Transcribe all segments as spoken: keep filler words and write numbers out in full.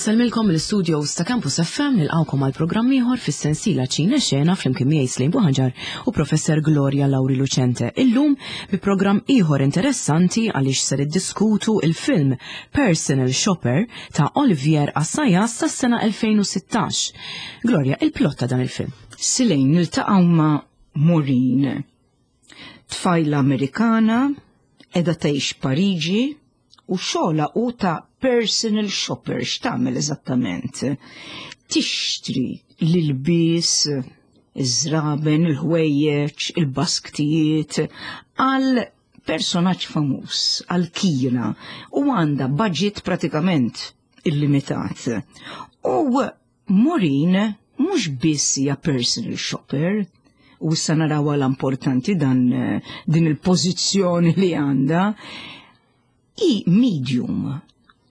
Insellmilkom l-studios ta' Campus F M, nilqawkom għal programm ieħor fis-sensiela Ċina Xena flimkien miegħi Slejn Buħanġar u Professor Gloria Lauri Lucente. Illum bi programm ieħor interessanti għaliex ser iddiskutu il-film Personal Shopper ta' Olivier Assayas tas-sena elfejn u sittax. Gloria, il-plot ta' dan il-film. Silejn, niltaqgħu ma' Maureen, tfajla Amerikana, qiegħda tgħix Pariġi u xogħolha hu ta' personal shopper. X'tagħmel eżattament? Tixtri l-ilbies, iż-żraben, il-ħwejjeġ, il-basktijiet għal personaġġ famuż, għal Kira, u għandha budget pratikament illimitat. U Maureen mhux biss hija personal shopper, u issa naraw l-importanti dan din il-pożizzjoni li għandha, hi medium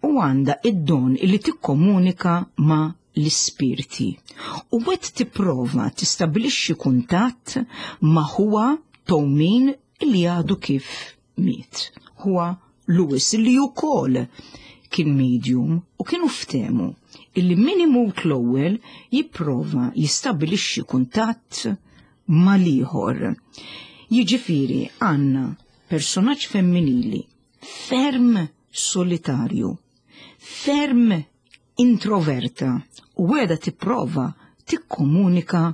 u għandha id-don li tikkomunika ma' l-ispirti. U qed tipprova tistabilixxi kuntatt ma' ħuha tewmin li għadu kif miet. Ħuha Louis, li wkoll kien medium, u kienu ftehmu illi min imut l-ewwel jipprova jistabilixxi kuntatt mal-ieħor. Jiġifieri għandna personaġġ femminili ferm solitarju, ferm introverta, u qiegħda tipprova tikkomunika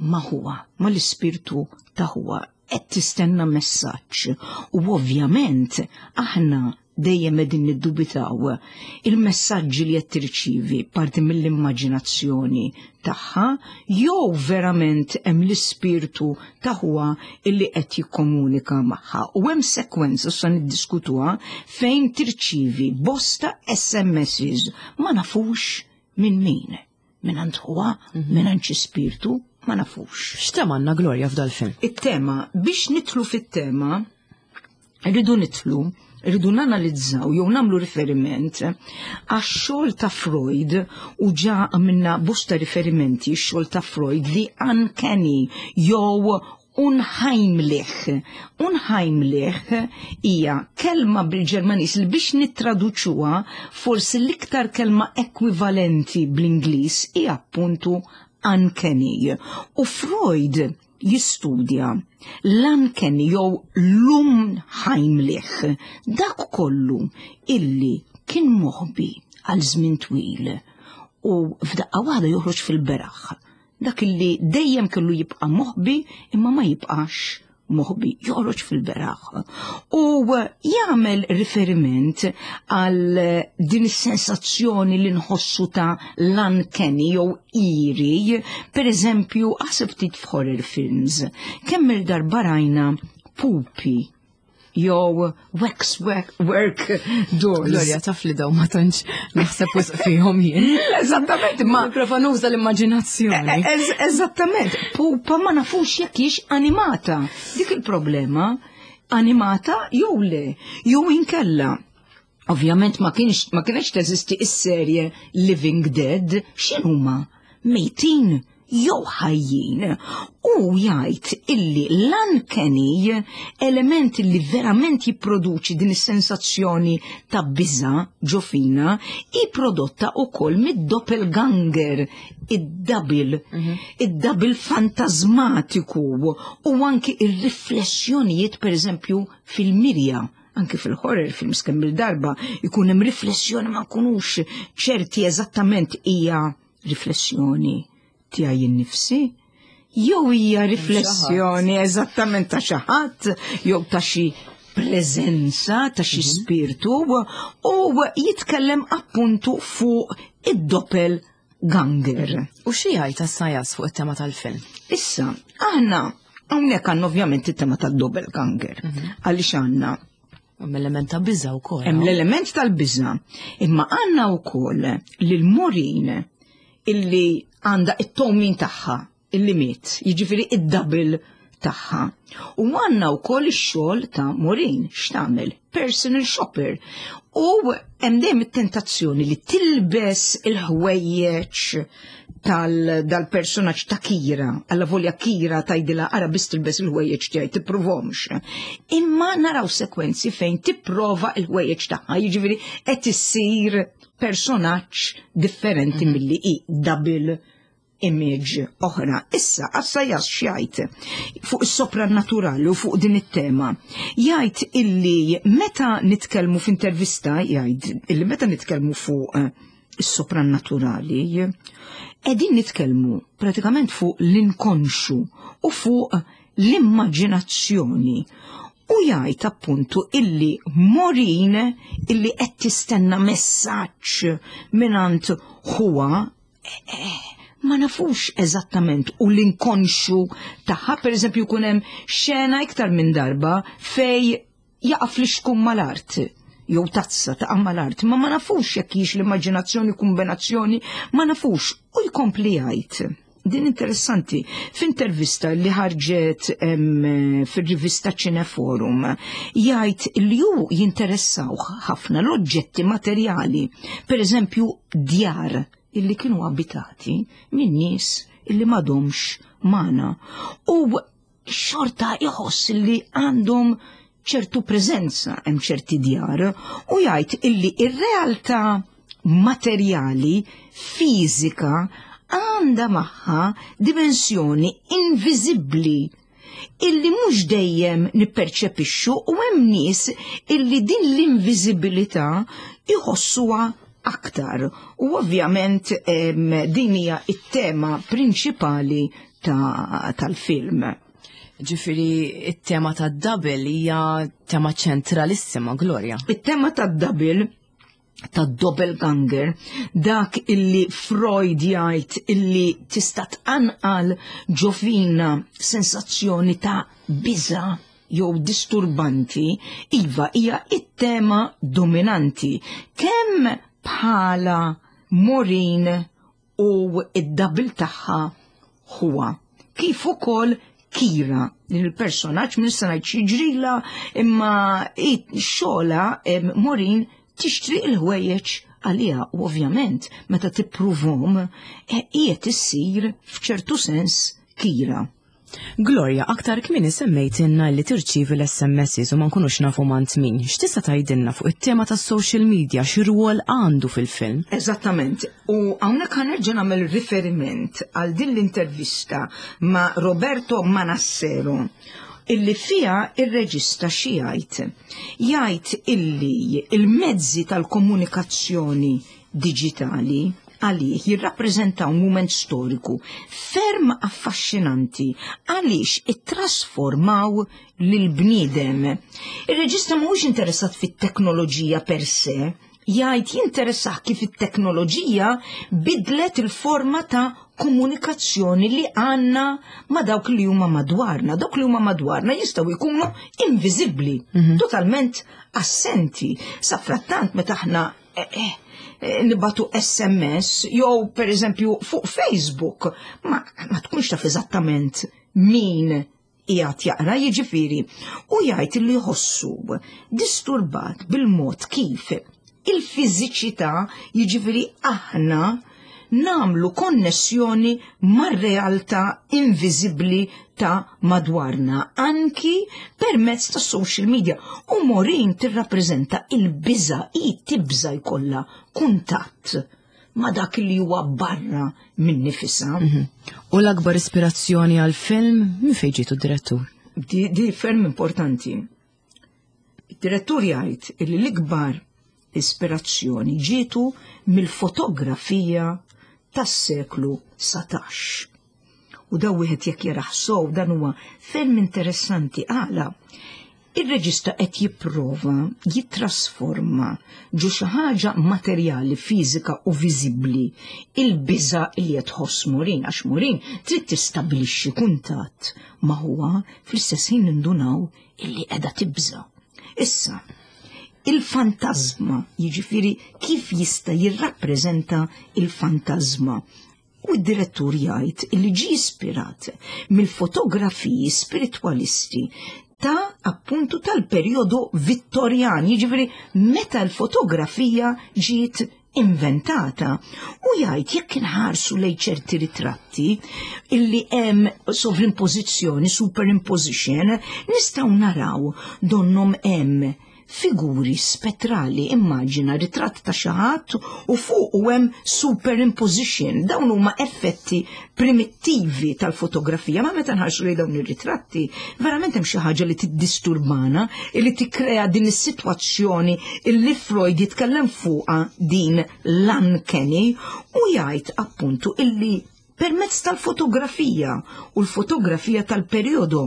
ma' ħuha, mal-ispirtu ta' ħuha, qed tistenna messaġġ u ovvjament aħna dejjem qegħdin niddubitaw il-messaġġi li qed tirċivi parti mill-immaġinazzjoni tagħha jew verament hemm l-ispirtu ta' ħuha illi qed jikkomunika magħha. U hemm sekwenza sa niddiskutuha fejn tirċivi bosta S M Ss, ma nafux minn min. Minn għand ħuha, minn għand xi spirtu, ma nafux. X'tema għandna, Gloria, f'dal-film? It-tema, biex nidħlu fit-tema, rridu nidħlu, rridu nanalizzaw jew nagħmlu riferiment għax-xogħol ta' Freud, u ġa għamilna bosta riferimenti x-xogħol ta' Freud, the uncanny jew unheimlich. Unheimlich hija kelma bil-Ġermanis li biex nittraduċuha forsi l-iktar kelma ekwivalenti bl-Ingliż hija appuntu uncanny. U Freud jistudja l-uncanny jew l-unheimlich, dak kollu illi kien moħbi għal żmien twil u f'daqqa waħda joħroġ fil-beraħ. Dak illi dejjem kellu jibqa' moħbi imma ma jibqax moħbi, joħroġ fil-beraħ. U jagħmel riferiment għal din is-sensazzjoni li nħossu ta' l-uncanny jew eerie, per eżempju, aħseb ftit f'horror films. Kemm il-darba rajna pupi jew wax work, work dolls. Gloria, taf li daw ma tantx naħseb wisq fihom jien. Eżattament, ma Nipprova nuża l-immaġinazzjoni. Ez- Eżattament, pupa ma nafux jekk hix animata. Dik il-problema, animata jew le, jew inkella. Ovvjament ma kienx ma kienx teżisti is-serje Living Dead, x'inhuma? Mejtin jew ħajjin? U jgħid illi l-uncanny, element li verament jipproduċi din is-sensazzjoni ta' biża ġo fina, hi prodotta wkoll mid-doppelganger, id-double, id-double fantasmatiku u anki ir-riflessjonijiet, per eżempju, fil-mirja, anki fil-horror films kemm il-darba ikun hemm riflessjoni, ma nkunux ċerti eżattament hija riflessjoni tiegħi innifsi jew hija riflessjoni eżattament ta' xi ħadd jew ta' xi preżenza ta' xi spirtu, u jitkellem appuntu fuq id-doppelganger. U xi jgħid Assayas fuq it-tema tal-film? Issa, aħna hawnhekk għandna ovvjament it-tema tad-doppelganger. Għaliex għandna Hemm element ta' biża wkoll. Hemm l-element tal-biża, imma għandna wkoll lil Maureen illi għandha it-tewmin tagħha illi miet, jiġifieri id-double tagħha. U għandna wkoll ix-xogħol ta' Maureen, x'tagħmel? Personal shopper. U hemm dejjem it-tentazzjoni li tilbes il-ħwejjeġ tal-personaġġ ta' Kira, alla volja Kira tgħidilha ara biss tilbes il-ħwejjeġ tiegħi tippruvhomx. Imma naraw sekwenzi fejn tipprova il-ħwejjeġ tagħha, jiġifieri qed issir personaġġ differenti milli hi, double image oħra. Issa, Assayas x'jgħid fuq is-soprannaturali u fuq din it-tema? Jgħid illi meta nitkellmu f'intervista, jgħid illi meta nitkellmu fuq eh, is-soprannaturali, qegħdin nitkellmu pratikament fuq l-inkonxu u fuq l-immaġinazzjoni. U jgħid appuntu illi Maureen, illi qed tistenna messaġġ mingħand huwa, eh, ma nafux eżattament, u l-inkonxu tagħha. Per eżempju, jkun hemm xena iktar minn darba fej jaqa' flixkun mal-art jew tazza taqa' mal-art, ma ma nafux jekk hix l-immaġinazzjoni, kombinazzjoni, ma nafux. U jkompli jgħid, din interessanti, f'intervista li ħarġet fir-rivista Cineforum, jgħid li hu jinteressaw ħafna l-oġġetti materjali, per eżempju djar illi kienu abitati minn nies illi m'għadhomx magħna. U xorta jħoss illi għandhom ċertu preżenza hemm ċerti djar, u jgħid illi ir-realtà materjali fiżika għandha magħha dimensjoni inviżibbli illi mhux dejjem nipperċepixxu, u hemm nies illi din l-inviżibilità jħossuha aktar. U ovvjament din hija it-tema prinċipali tal-film. Ġifieri, it-tema ta' double hija tema ċentralissima, Gloria. It-tema ta' double, ta' doppelganger, dak illi Freud jgħid illi tista' tqanqal ġo fina sensazzjoni ta' biża jew disturbanti, iva, hija it-tema dominanti. Kemm bħala Maureen u id-double tagħha huwa, kif ukoll Kira, din il-personaġġ minn se ngħid x'jiġrilha, imma xogħla Maureen tixtri il-ħwejjeġ għaliha u ovvjament meta tippruvhom qiegħed issir f'ċertu sens Kira. Gloria, aktar kmieni semmejtinna li tirċivi l-S M Ss u ma nkunux nafu mingħand min. X'tista' tgħidilna fuq it-tema tas-social media, xi rwol għandu fil-film? Eżattament. U hawnhekk ħa nerġa' nagħmel riferiment għal din l-intervista ma' Roberto Manassero, illi fija ir-reġista xi jgħid? Jgħid illi il-mezzi tal-komunikazzjoni diġitali għalih jirrappreżentaw mument storiku ferm affaxxinanti għaliex ittrasformaw lil-bniedem. Ir-reġista mhuwiex interessat fit-teknoloġija per se, jgħid jinteressah kif it-teknoloġija bidlet il-forma ta' komunikazzjoni li għandna ma' dawk li huma madwarna. Dawk li huma madwarna jistgħu jkunu inviżibbli, mm -hmm. totalment assenti. Sa frattant meta aħna eh, eh, nibagħtu S M S jew per eżempju fuq Facebook, ma, ma tkunx taf eżattament min qiegħed jaqra, jiġifieri. U jgħid li jħossu disturbat bil-mod kif il-fiżiċità, jiġifieri aħna nagħmlu konnessjoni mar-realtà inviżibbli ta' madwarna, anki permezz ta' social media. U Maureen tirrappreżenta il-biża, i tibża jkollha kuntatt ma' dak li huwa barra minn nifisha. Mm -hmm. U l-akbar ispirazzjoni għal-film minn fejn ġietu, direttur? Di, di ferm importanti. Id-direttur jgħid li l-ikbar ispirazzjoni ġietu mill-fotografija tas-seklu satax. U daw wieħed jekk jarah sew, dan huwa ferm interessanti għala. Ir-reġista qed jipprova jittrasforma ġo xi ħaġa materjali, fiżika u viżibbli il-biża li qed tħoss Maureen, għax Maureen trid tistabbilixxi kuntatt ma huwa, fl-istess ħin nindunaw illi qiegħda tibża. Issa, il-fantasma, jiġifieri kif jista' jirrappreżenta il-fantasma? U d-direttur jgħid li ġi ispirat mill-fotografiji spiritwalisti ta' appuntu tal-perjodu Vittorjan, jiġifieri meta l-fotografija ġiet inventata. U jgħid jekk inħarsu lejn ċerti ritratti illi hemm sovrimpożizzjoni, superimposition, nistgħu naraw donnom hemm figuri spettrali. Immaġina ritratt ta' xi ħadd u fuq u hemm superimposition. Dawn huma effetti primittivi tal-fotografija, ma meta nħarsu lejn dawn ir-ritratti, verament hemm xi ħaġa li tiddisturbana, li tikkrea din is-sitwazzjoni li Freud jitkellem fuqha, din l-uncanny, u jgħid appuntu illi permezz tal-fotografija u l-fotografija tal-perjodu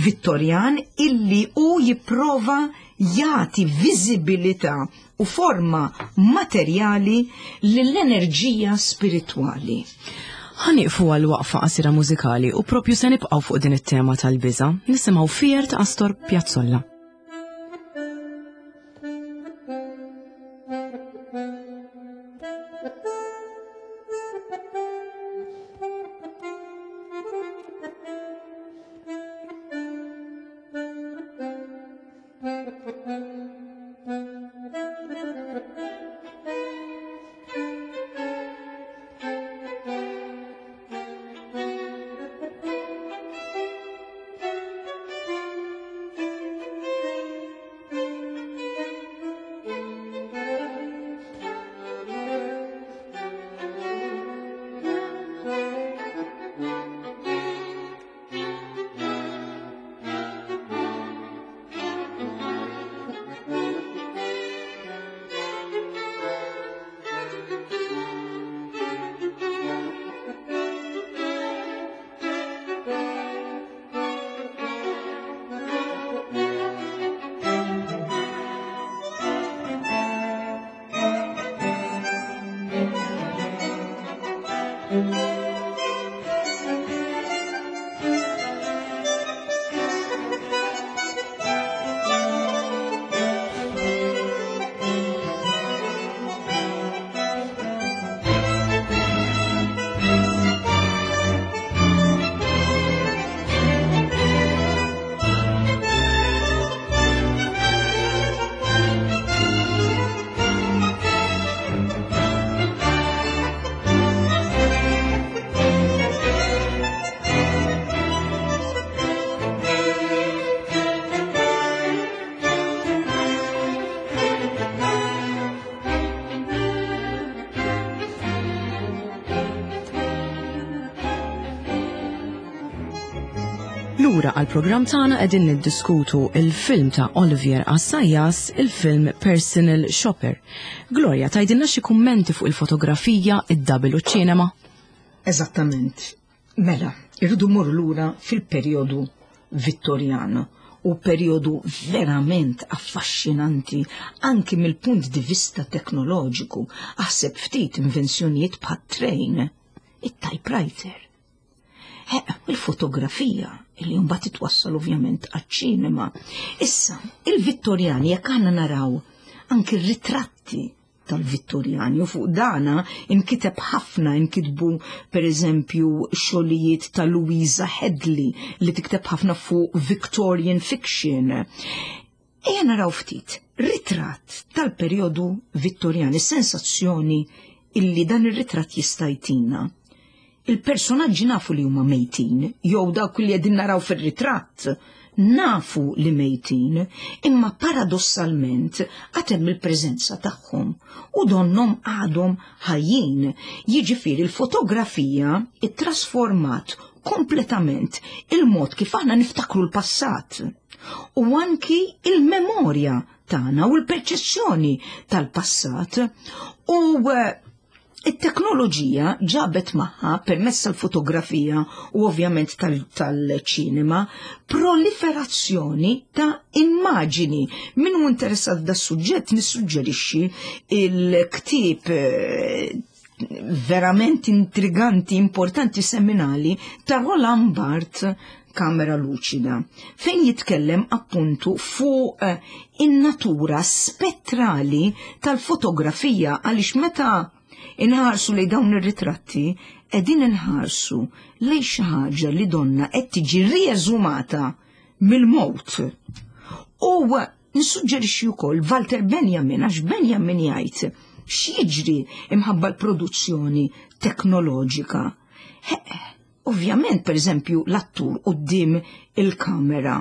Vittorjan illi u jipprova jagħti viżibilità u forma materjali lill-enerġija spiritwali. Ħa nieqfu għal waqfa qasira mużikali u propju se nibqgħu fuq din it-tema tal-biża', nisimgħu Fear ta' Astor Piazzolla. Lura għal-programm tagħna qegħdin niddiskutu il-film ta' Olivier Assayas, il-film Personal Shopper. Gloria, tgħidilna xi kummenti fuq il-fotografija, id-double u ċ-ċinema? Eżattament. Mela, irridu mmorru lura fil-perjodu Vittorjan u perjodu verament affaxxinanti anki mill-punt di vista teknoloġiku. Aħseb ftit invenzjonijiet bħat-train, it-typewriter. Il-fotografija li mbagħad titwassal ovvjament għaċ-ċinema. Issa, il-Vittorjani jekk aħna naraw anki r-ritratti tal-Vittorjani u fuq dana inkiteb ħafna, inkitbu per eżempju xogħlijiet ta' Louisa Hedley li tikteb ħafna fuq Victorian fiction. Ejja naraw ftit ritratt tal-perjodu Vittorjani, sensazzjoni illi dan ir-ritratt jista' jtina. Il-personaġġi nafu li huma mejtin, jew dawk li qegħdin naraw fir-ritratt nafu li mejtin, imma paradossalment għad hemm il-preżenza tagħhom u donnhom għadhom ħajjin. Jiġifieri l-fotografija ittrasformat kompletament il-mod kif aħna niftakru l-passat u anki il-memorja tagħna u l-perċezzjoni tal-passat. U it-teknoloġija ġabet magħha permezz tal-fotografija u ovvjament tal-ċinema proliferazzjoni ta' immaġini. Min hu interessat da' suġġett nissuġġerixxi il-ktieb verament intriganti, importanti, seminali ta' Roland Barthes, Kamera Luċida, fejn jitkellem appuntu fuq in-natura spettrali tal-fotografija, għaliex meta inħarsu lejn dawn ir-ritratti qegħdin inħarsu lejn xi ħaġa li donna qed tiġi rieżumata mill-mowt. U nissuġġerixxi wkoll Walter Benjamin, għax Benjamin jgħid x'jiġri imħabba l-produzzjoni teknoloġika. Ovvjament, per eżempju, l-attur quddiem il-kamera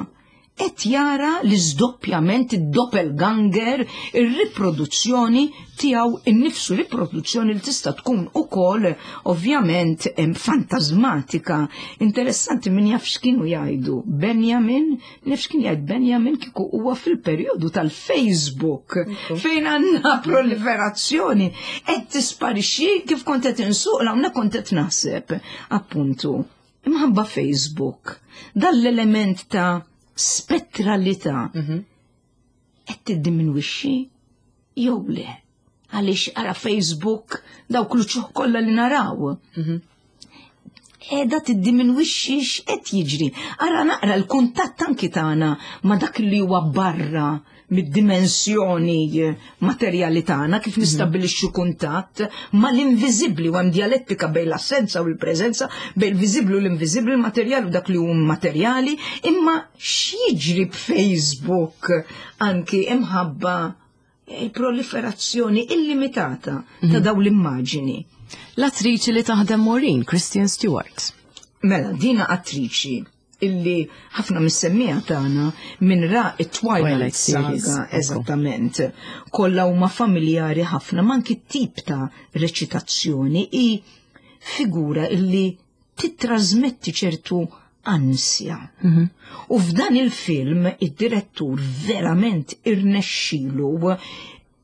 qed jara l-iżdoppjament, id-doppelganger, ir-riproduzzjoni tiegħu innifsu, riproduzzjoni li tista' tkun ukoll ovvjament fantasmatika. Interessanti, min jaf x'kienu jgħidu Benjamin, naf x'kien jgħid Benjamin kieku huwa fil-perjodu tal-Facebook fejn għandna proliferazzjoni qed tisparixxi. Kif kont qed insuq hawnhekk kont qed naħseb appuntu imħabba Facebook dan l-element ta' spettralità qed tiddiminwixxi jew le. Għaliex ara Facebook, dawk l-uċuħ kollha li naraw. Qiegħda tiddiminwixxi, x'qed jiġri? Ara naqra l-kuntatt anki tagħna ma' dak li huwa barra mid-dimensjoni materjali tagħna, kif nistabbilixxu kuntatt mal-inviżibbli, u hemm dialettika bejn l-assenza u l-preżenza, bejn il-viżibbli u l-inviżibbli, il-materjali u dak li hu materjali, imma x'jiġri b'Facebook anki imħabba il-proliferazzjoni illimitata ta' dawn l-immaġini? L-attriċi li taħdem Maureen, Kristen Stewart. Mela, dina attriċi illi ħafna mis-semmiegħa tagħna minn ra it-Twilight Twilight series, Saga, ekku. Eżattament. Kollha huma familjari ħafna manki tip ta' reċitazzjoni, i figura illi titrasmetti ċertu ansja. U f'dan il-film id-direttur verament irnexxilu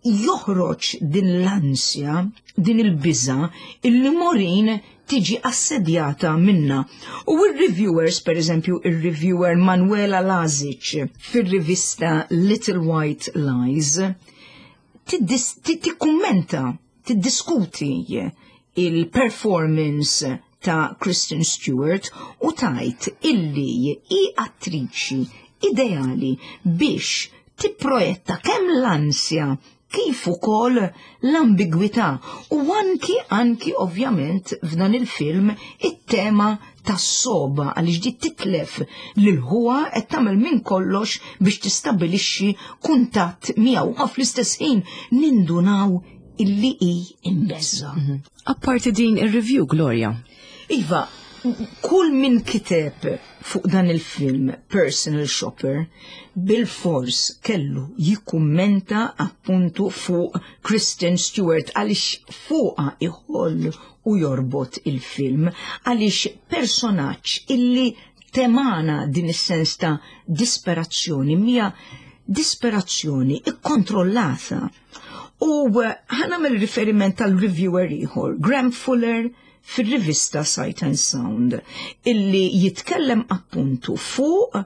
joħroġ din l-ansja, din il-biża illi Maureen tiġi assedjata minna. U il-reviewers, per eżempju, il-reviewer Manuela Lazic fil-rivista Little White Lies, tiddis- ti- tikkummenta, tiddiskuti il-performance ta' Kristen Stewart u tgħid illi hi attriċi ideali biex tipprojetta kemm l-ansja kif ukoll l-ambigwità u anki anki ovvjament f'dan il-film it-tema tas-soba, għaliex di titlef lil huwa qed tagħmel minn kollox biex tistabbilixxi kuntatt miegħu u fl-istess ħin nindunaw illi hi imbeżża. Apparti din ir-review, Gloria. Iva, kull min kiteb fuq dan il-film Personal Shopper bil-fors kellu jikkummenta appuntu fuq Kristen Stewart, għaliex fuqha iħoll u jorbot il-film, għaliex personaġġ illi temana din is-sens ta' disperazzjoni, mija disperazzjoni ikkontrollata. U eh, ħa nagħmel riferiment tal-reviewer ieħor, Graham Fuller, fil-rivista Sight and Sound, illi jitkellem appuntu fuq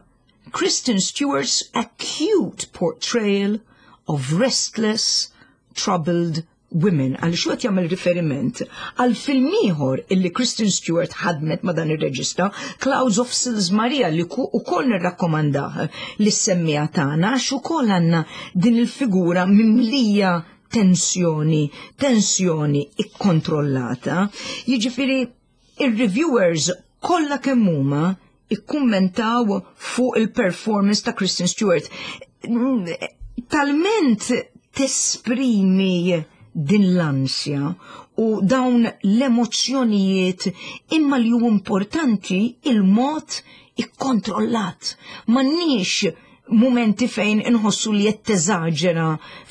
Kristen Stewart's acute portrayal of restless, troubled women. Għal xu jagħmel riferiment għal film ieħor illi Kristen Stewart ħadmet ma' dan ir-reġista, Clouds of Sils Maria, li ukoll nirrakkomandah lis-semmiegħa tagħna, għax ukoll għandna din il-figura mimlija tensjoni, tensjoni ikkontrollata. Jiġifieri ir-reviewers kollha kemm huma ikkummentaw fuq il-performance ta' Kristen Stewart. Talment tesprimi din l-ansja u dawn l-emozzjonijiet, imma li hu importanti il-mod ikkontrollat. M'għandniex momenti fejn inħossu li qed teżaġera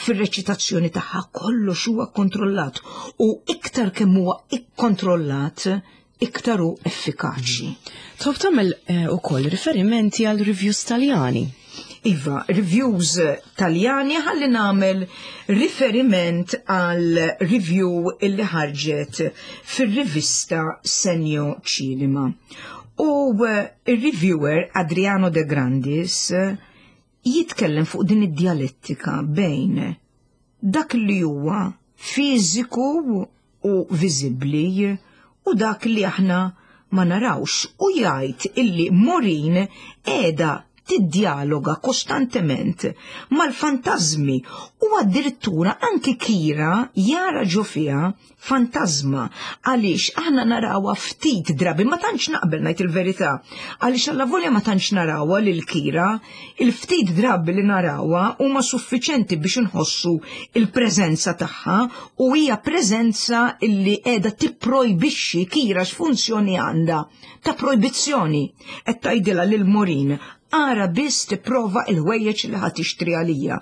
fir-reċitazzjoni tagħha, kollox huwa kontrollat u iktar kemm huwa ikkontrollat iktar hu effikaċi. Tħobb tagħmel eh, ukoll riferimenti għal reviews Taljani. Iva, reviews Taljani, ħalli nagħmel riferiment għal review illi ħarġet fir-rivista Segno Cinema. U eh, il-reviewer Adriano De Grandis eh, jitkellem fuq din id-dialettika bejn dak li huwa fiżiku u viżibbli u dak li aħna ma narawx, u jgħid illi Maureen qiegħda tiddialoga kostantement mal-fantazmi u addirittura anki Kira jara ġo fiha fantazma, għaliex aħna narawha ftit drabi, ma tantx naqbel, ngħid il-verità, għaliex alla volja ma tantx narawha lil Kira, il-ftit drabi li narawha huma suffiċenti biex inħossu il-preżenza tagħha, u hija preżenza illi qiegħda tipprojbixxi. Kira x'funzjoni għandha? Ta' projbizzjoni. Qed tgħidilha lil Maureen Ara biss tipprova il-ħwejjeġ li ħa tixtri għalija.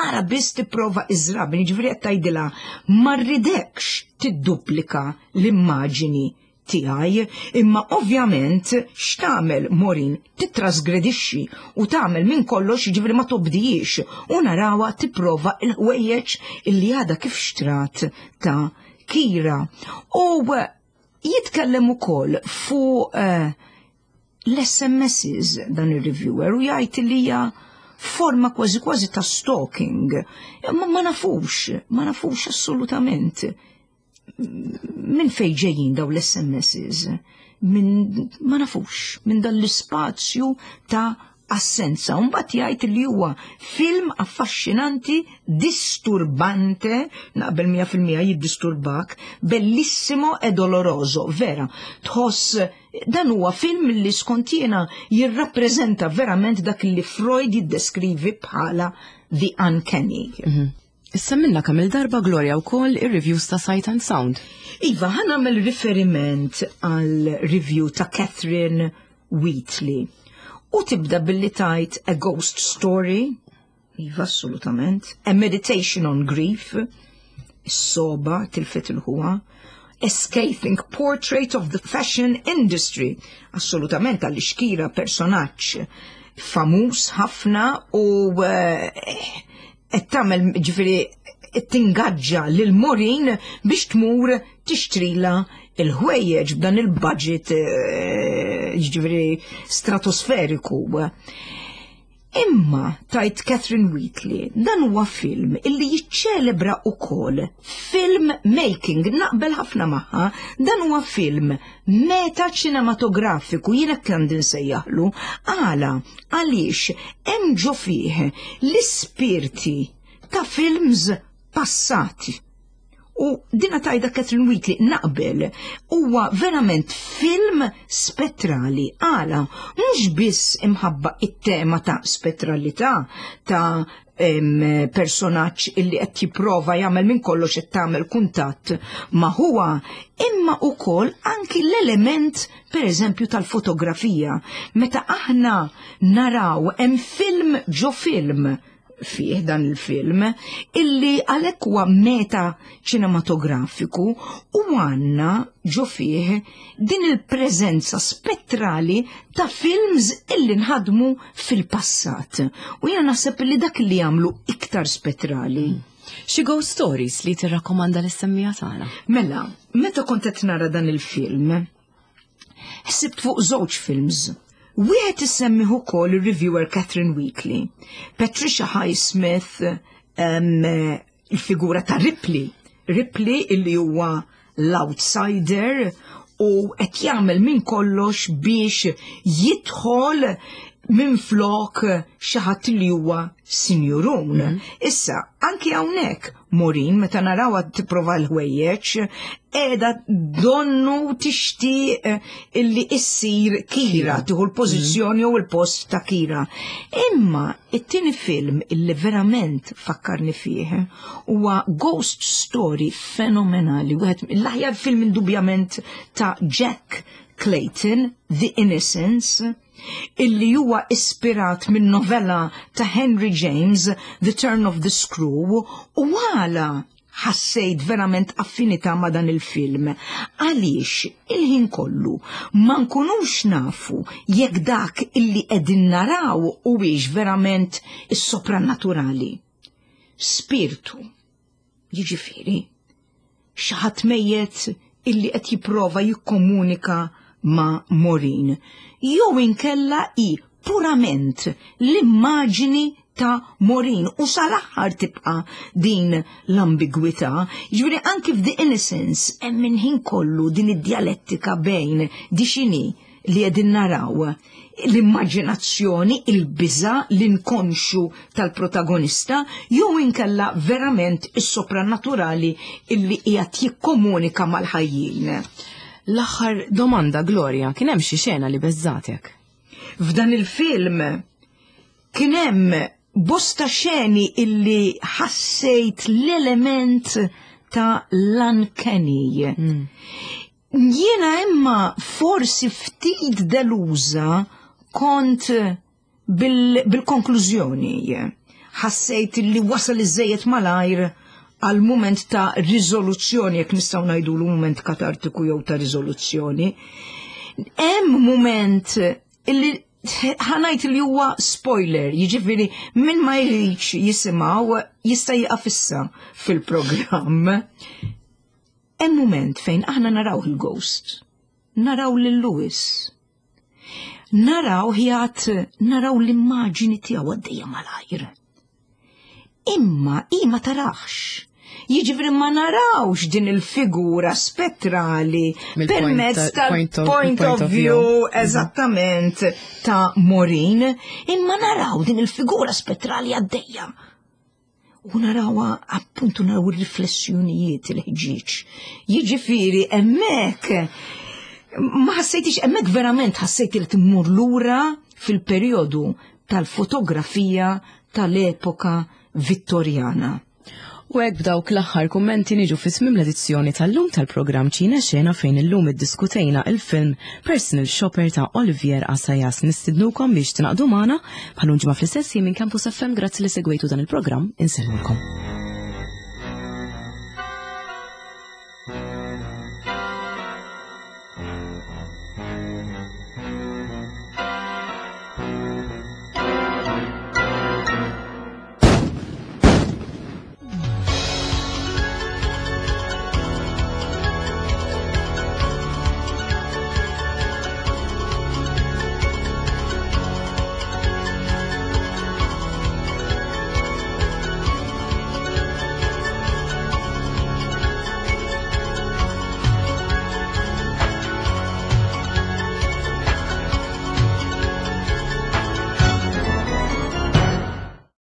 Ara biss tipprova iż-żraben, jiġifieri qed tgħidilha ma rridekx tidduplika l-immaġini tiegħi, imma ovvjament x'tagħmel Maureen? Titrasgredixxi u tagħmel minn kollox, jiġifieri ma tobdijiex u narawha tipprova il-ħwejjeġ illi għadha kif xtrat ta' Kira. U jitkellem ukoll fuq uh, l-S M Ss dan il-reviewer u jgħid li hija forma kważi kważi ta' stalking. Ma, ma nafux, ma nafux assolutament minn fej ġejjin daw l-S M Ss, minn ma nafux, minn dan l-ispazju ta' assenza. Mbagħad jgħid li huwa film affaxxinanti, disturbante, naqbel mija fil-mija jiddisturbak, bellissimo e doloroso, vera. Tħoss dan huwa film li skont jiena jirrappreżenta verament dak li Freud jiddeskrivi bħala the uncanny. Mm -hmm. Issa minna kemm il-darba, Gloria, wkoll ir-reviews ta' Sight and Sound. Iva, ħa nagħmel riferiment għal review ta' Catherine Wheatley. U tibda billi tgħid "A ghost story", iva assolutament, "a meditation on grief", is-soba tilfet il-ħuwa, "a scathing portrait of the fashion industry", assolutament għaliex Kira personaġġ famuż ħafna u qed tagħmel, ġifieri tingaġġa lil Maureen biex tmur tixtrila il-ħwejjeġ b'dan il-budget eh, ġifieri stratosferiku. Imma tgħid Catherine Wheatley, dan huwa film illi jiċċelebra ukoll film making, naqbel ħafna magħha, dan huwa film meta ċinematografiku, jiena għandi nsejjaħlu, għala, għaliex hemm ġo fih l-ispirti ta' films passati. U dina tgħidha Catherine Wheatley, naqbel, huwa verament film spettrali. Għala, mhux biss imħabba it-tema ta' spettralità, ta' personaġġ illi qed jipprova jagħmel minn kollox qed tagħmel kuntatt ma' huwa, imma ukoll anki l-element per eżempju tal-fotografija. Meta aħna naraw hemm film ġo film fih dan il-film illi għalhekk huwa meta ċinematografiku u għandna ġo fih din il-preżenza spettrali ta' films illi nħadmu fil-passat. U jiena naħseb li dak li jagħmlu iktar spettrali. Xi ghost stories li tirrakkomanda lis-semmiegħa tagħna? Mela, meta kont qed nara dan il-film, ħsibt fuq żewġ films. Wieħed isemmih ukoll ir-reviewer Catherine Wheatley. Patricia Highsmith, um, il-figura ta' Ripley. Ripley illi huwa l-outsider u qed jagħmel minn kollox biex jidħol minn flok xi ħadd li huwa sinjurun. Mm -hmm. Issa, anki hawnhekk Maureen, meta narawha tipprova l-ħwejjeġ, qiegħda donnu tixtieq illi issir Kira, tieħu l-pożizzjoni jew il-post ta' Kira. Imma it-tieni film illi verament fakkarni fih huwa ghost story fenomenali, wieħed l-aħjar film indubjament ta' Jack Clayton, The Innocents, illi huwa ispirat minn novella ta' Henry James, The Turn of the Screw, u għala ħassejt verament affinità ma' dan il-film. Għaliex il-ħin kollu ma nkunux nafu jekk dak illi qegħdin naraw huwiex verament is-soprannaturali. Spirtu, jiġifieri, xi ħadd mejjet illi qed jipprova jikkomunika ma' Maureen. Jew inkella i purament l-immaġini ta' Maureen u sal-aħħar tibqa' din l-ambigwità. Ġifieri anki f'The Innocents hemm minn ħin kollu din id-dialettika bejn di xini li qegħdin naraw, l-immaġinazzjoni, il-biża, l-inkonxu tal-protagonista, jew inkella verament is-soprannaturali illi qiegħed jikkomunika mal-ħajjin. L-aħħar domanda, Gloria, kien hemm xi xena li beżżgħetek? F'dan il-film kien hemm bosta xeni illi ħassejt l-element ta' l-uncanny. Mm. Jiena imma forsi ftit deluża kont bil-konklużjoni. Ħassejt li wasal iżejjed malajr għal moment ta' riżoluzzjoni, jekk nistgħu ngħidulu moment katartiku jew ta' riżoluzzjoni. Hemm moment illi ħa ngħid li huwa spoiler, jiġifieri min ma jridx jisimgħu jista' jieqaf issa fil-programm. Hemm moment fejn aħna naraw il-ghost, naraw lil Louis, naraw ħjat, naraw l-immaġini tiegħu għaddejja malajr. Imma i ma tarax. Jiġifieri ma narawx din il-figura spettrali permezz tal-point of view eżattament ta' Maureen, imma naraw din il-figura spettrali għaddejja. U narawha appuntu naraw il-riflessjonijiet, il-ħġieġ. Jiġifieri hemmhekk ma ħassejtix, hemmhekk verament ħassejt li timmur lura fil-perjodu tal-fotografija tal-epoka Vittorjana. U hekk b'dawk l-aħħar kummenti niġu fi tmiem l-edizzjoni tal-lum tal-programm Ċina Xena, fejn illum iddiskutejna il-film Personal Shopper ta' Olivier Assayas. Nistidnukom biex tingħaqdu magħna bħal ġimgħa fl-istess minn Campus F M. Grazzi li segwejtu dan il-programm, insellmulkom.